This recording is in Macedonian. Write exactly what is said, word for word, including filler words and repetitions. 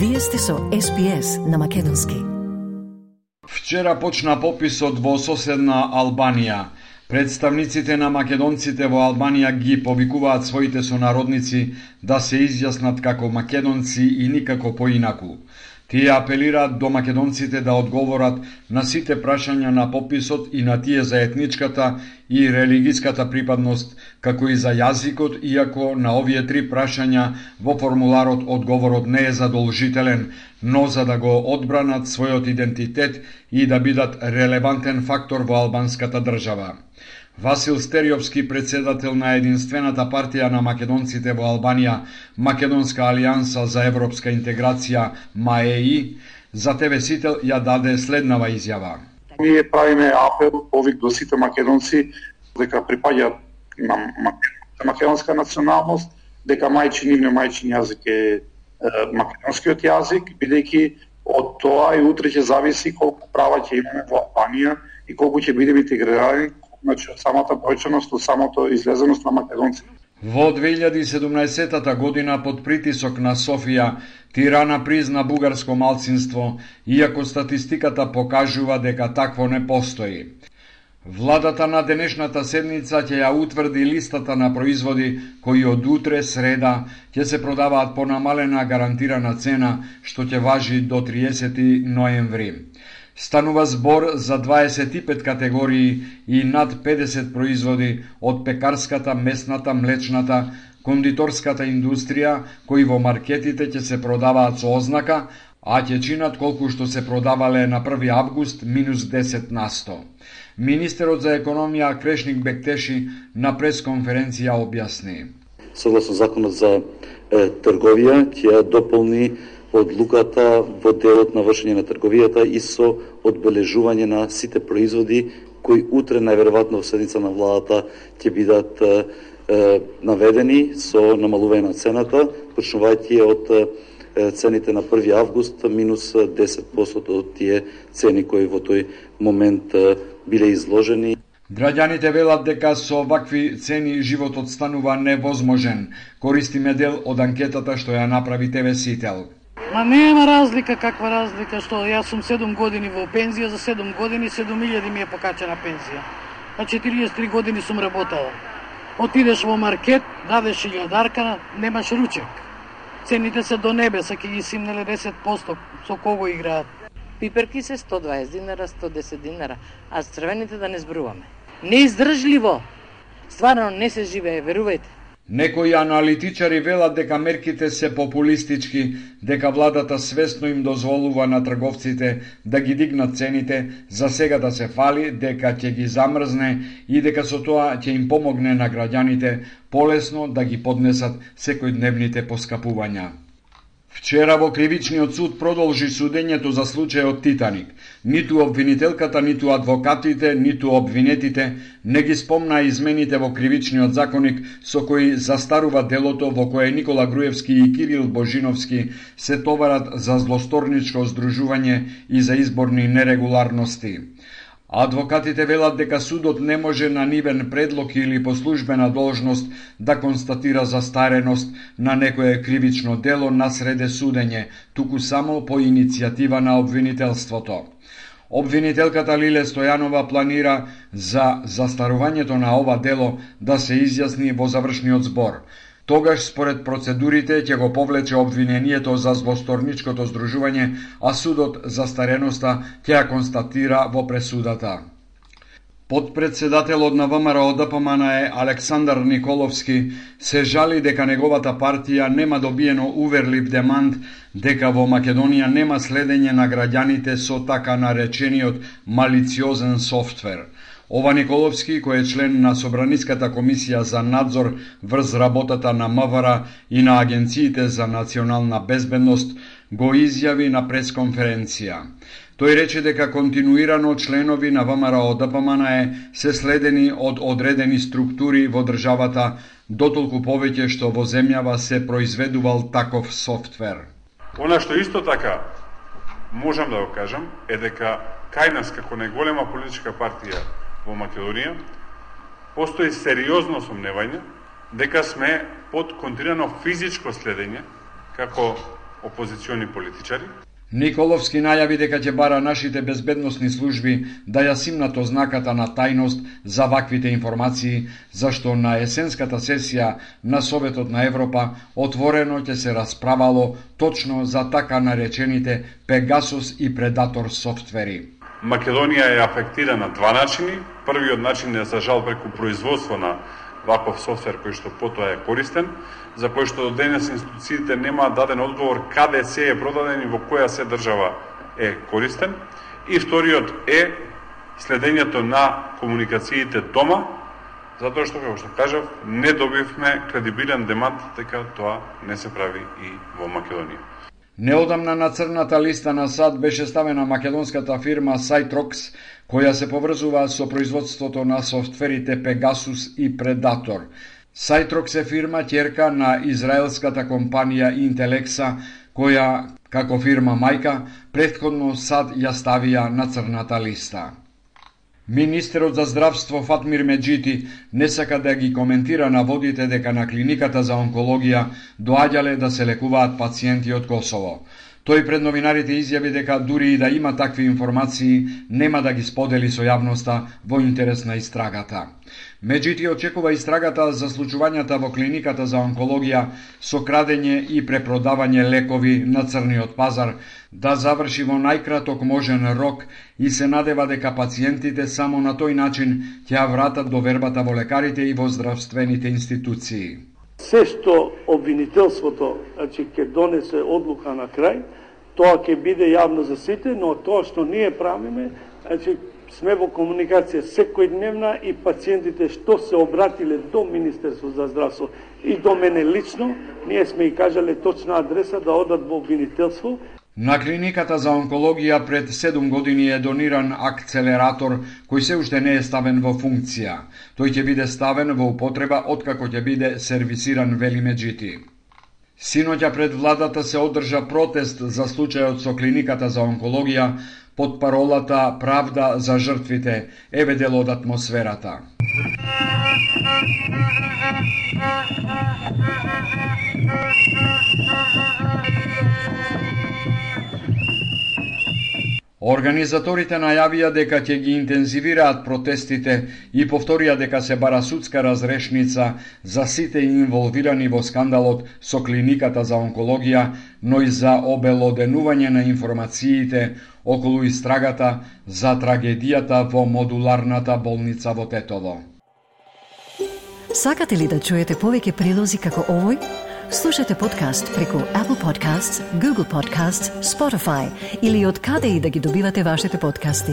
Вие сте со Ес Би Ес на македонски. Вчера почна пописот во соседна Албанија. Представниците на македонците во Албанија ги повикуваат своите сонародници да се изјаснат како македонци и никако поинаку. Тие апелираат до македонците да одговорат на сите прашања на пописот и на тие за етничката и религиската припадност, како и за јазикот, иако на овие три прашања во формуларот одговорот не е задолжителен, но за да го одбранат својот идентитет и да бидат релевантен фактор во албанската држава. Васил Стериовски, председател на единствената партија на македонците во Албанија, Македонска алијанса за европска интеграција МАЕИ, за Те Ве Сител ја даде следнава изјава. Ние правиме апел, повик до сите македонци дека припаѓаат на македонска националност, дека мајчин нивниот мајчин јазик е македонскиот јазик, бидејќи од тоа и утре ќе зависи колку права ќе имаме во Албанија и колку ќе бидеме интегрирани, значи од самата бројченост, од самото излезеност на македонци. Во две илјади и седумнаесетата година под притисок на Софија, Тирана призна бугарско малцинство, иако статистиката покажува дека такво не постои. Владата на денешната седница ќе ја утврди листата на производи кои од утре, среда, ќе се продаваат по намалена гарантирана цена, што ќе важи до триесети ноември. Станува збор за дваесет и пет категории и над педесет производи од пекарската, месната, млечната, кондиторската индустрија, кои во маркетите ќе се продаваат со ознака, а ќе чинат колку што се продавале на први август минус десет на сто. Министерот за економија Крешник Бектеши на пресконференција објасни. Согласно законот за е, трговија, ќе ја дополни одлуката во делот на вршење на трговијата и со одбележување на сите производи кои утре најверојатно во седница на владата ќе бидат е, е, наведени со намалување на цената, почнувајќи од е, цените на први август минус десет проценти од тие цени кои во тој момент е, биле изложени. Граѓаните велат дека со вакви цени животот станува невозможен. Користиме дел од анкетата што ја направи Те Ве Сител. Ма нема разлика, каква разлика, што јас сум седум години во пензија, за седум години седум илјади ми е покачена пензија. А четириесет и три години сум работала. Отидеш во маркет, дадеш илјадарка, немаш ручек. Цените се до небе, са ќе ги симнеле десет проценти со кого играат. Пиперки се сто дваесет динара, сто десет динара, а црвените да не зборуваме. Неиздржливо. Стварно не се живее, верувајте. Некои аналитичари велат дека мерките се популистички, дека владата свесно им дозволува на трговците да ги дигнат цените, за сега да се фали, дека ќе ги замрзне и дека со тоа ќе им помогне на граѓаните полесно да ги поднесат секојдневните поскапувања. Вчера во кривичниот суд продолжи судењето за случајот Титаник. Ниту обвинителката, ниту адвокатите, ниту обвинетите не ги спомна измените во кривичниот законник со кои застарува делото во кое Никола Груевски и Кирил Божиновски се товарат за злосторничко здружување и за изборни нерегуларности. Адвокатите велат дека судот не може на нивен предлог или по службена должност да констатира застареност на некое кривично дело насреде судење, туку само по иницијатива на обвинителството. Обвинителката Лиле Стојанова планира за застарувањето на ова дело да се изјасни во завршниот збор. Тогаш, според процедурите, ќе го повлече обвинението за злосторничкото здружување, а судот за стареноста ќе ја констатира во пресудата. Подпредседателот на ВМРО Д П М Н е Александар Николовски се жали дека неговата партија нема добиено уверлив демант дека во Македонија нема следење на граѓаните со така наречениот малициозен софтвер. Ова Николовски, кој е член на Собраниската комисија за надзор врз работата на М В Р и на агенциите за национална безбедност, го изјави на пресконференција. Тој рече дека континуирано членови на ВМРО Д П М Н е се следени од одредени структури во државата, дотолку повеќе што во земјава се произведувал таков софтвер. Она што исто така можам да го кажам е дека кај нас како најголема политичка партија во Македонија постои сериозно сомневање дека сме под континуирано физичко следење како опозициони политичари. Николовски најави дека ќе бара нашите безбедносни служби да ја симнат ознаката на тајност за ваквите информации, зашто на есенската сесија на Советот на Европа отворено ќе се расправало точно за така наречените Пегасус и Предатор софтвери. Македонија е афектирана на два начини. Првиот начин е за жал преку производство на ваков софтвер кој што потоа е користен, за кој што до денес институциите немаат даден одговор каде се е продаден и во која се држава е користен. И вториот е следењето на комуникациите дома, затоа што, како што кажав, не добивме кредибилен демант дека тоа не се прави и во Македонија. Неодамна на црната листа на САД беше ставена македонската фирма Сайтрокс, која се поврзува со производството на софтверите Pegasus и Predator. Сайтрокс е фирма ќерка на израелската компанија Intelexa, која, како фирма мајка, претходно САД ја ставија на црната листа. Министерот за здравство Фатмир Меджити не сака да ги коментира наводите дека на клиниката за онкологија доаѓале да се лекуваат пациенти од Косово. Тој пред новинарите изјави дека дури и да има такви информации, нема да ги сподели со јавноста во интерес на истрагата. Меджити очекува истрагата за случувањата во клиниката за онкологија со крадење и препродавање лекови на црниот пазар да заврши во најкраток можен рок и се надева дека пациентите само на тој начин ќе ја вратат довербата во лекарите и во здравствените институции. Се што обвинителството, значи, ќе донесе одлука на крај, тоа ќе биде јавно за сите, но тоа што ние правиме, значи, сме во комуникација секојдневна и пациентите што се обратиле до Министерство за здравство и до мене лично, ние сме и кажале точна адреса да одат во обвинителство. На клиниката за онкологија пред седум години е дониран акцелератор кој се уште не е ставен во функција. Тој ќе биде ставен во употреба откако ќе биде сервисиран, вели Меджити. Синоќа пред владата се одржа протест за случајот со клиниката за онкологија под паролата Правда за жртвите. Еве дел од атмосферата. Организаторите најавија дека ќе ги интензивираат протестите и повторија дека се бара судска разрешница за сите инволвирани во скандалот со клиниката за онкологија, но и за обелоденување на информациите околу истрагата за трагедијата во модуларната болница во Тетово. Сакате ли да чуете повеќе прилози како овој? Слушате подкаст преку Apple Podcasts, Google Podcasts, Spotify или од каде и да ги добивате вашите подкасти.